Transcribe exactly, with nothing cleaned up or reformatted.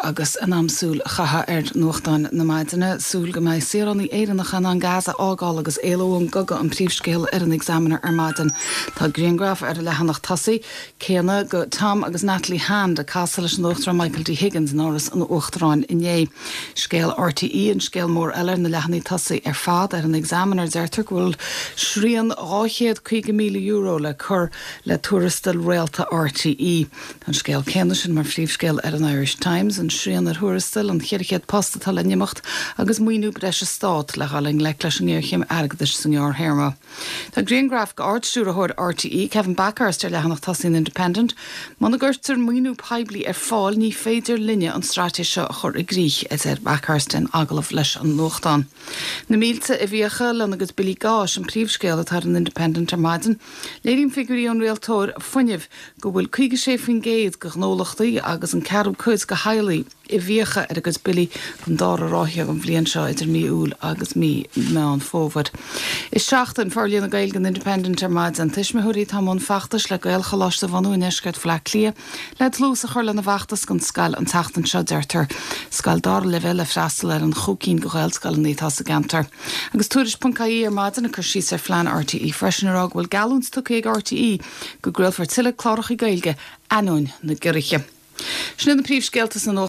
agus in am súil a chaitheamh ar nuachtáin na maidine, súil go mbeidh saoránaigh Éireannacha in ann Gaza a fhágáil agus éalú ón gcogadh an príomhscéal ar an Examiner ar maidin. Tá grianghraf ar an leathanach tosaigh céanna de Tom agus Natalie Hand ag casadh leis an Uachtarán Michael D. Higgins in Áras an Uachtaráin inné. Scéal RTÉ an scéal mór eile ar na leathanaigh tosaigh ar fad ar an Examiner deirtear go bhfuil srian dhá chéad caoga míle euro le cur le tuarastal réalta RTÉ. An scéal céanna sin mar phríomhscéal ar an Irish Times, an srian ar thuarastail an ceithre chéad post atá le n-imeacht agus maoiniú breise stáit le dhul i ngleic leis an ngéarchéim airgeadais sa ngearrthéarma. Tá grianghraf d'Ard-Stiúrthóir RTÉ Kevin Bakhurst ar leathanach tosaigh an Independent, Muna gcuirtear maoiniú poiblí ar fáil ní féidir linne an straitéis seo a chur i gcrích a deir Bakhurst in agallamh leis an nuachtán. Na mílte i bhfiacha lena gcuid billí gáis an príomhscéal atá ar an Independent ar maidin, Léiríonn figiúirí ón rialtóir fuinnimh go bhfuil caoga sé faoin gcéad de ghnólachtaí agus an ceathrú cuid de theaghlaigh i bhfiacha ar a gcuid billí don dara ráithe an bhliain seo idir mí Iúil agus mí Meán Fómhair. Is seachtain Forlíonadh Gaeilge an Independent ar maidin tuismitheoirí atá i mbun feachtais le Gaelcholáiste a bhunú i ndeisceart Bhaile Átha Cliath le dlús a chur lena bhfeachtas don scoil an tseachtain seo deirtear scoil dara leibhéal le freastal ar an chúig cinn de Ghaelscoileanna atá sa gceantar. Agus tuairisc.ie ar maidin ag cur síos ar phlean RTÉ freisin ar á go bhfuil geallúint tugtha ag RTÉ go gcraolfar tuilleadh cláracha Gaeilge ainneoin na gciorruithe. Sin na príomhscéalta san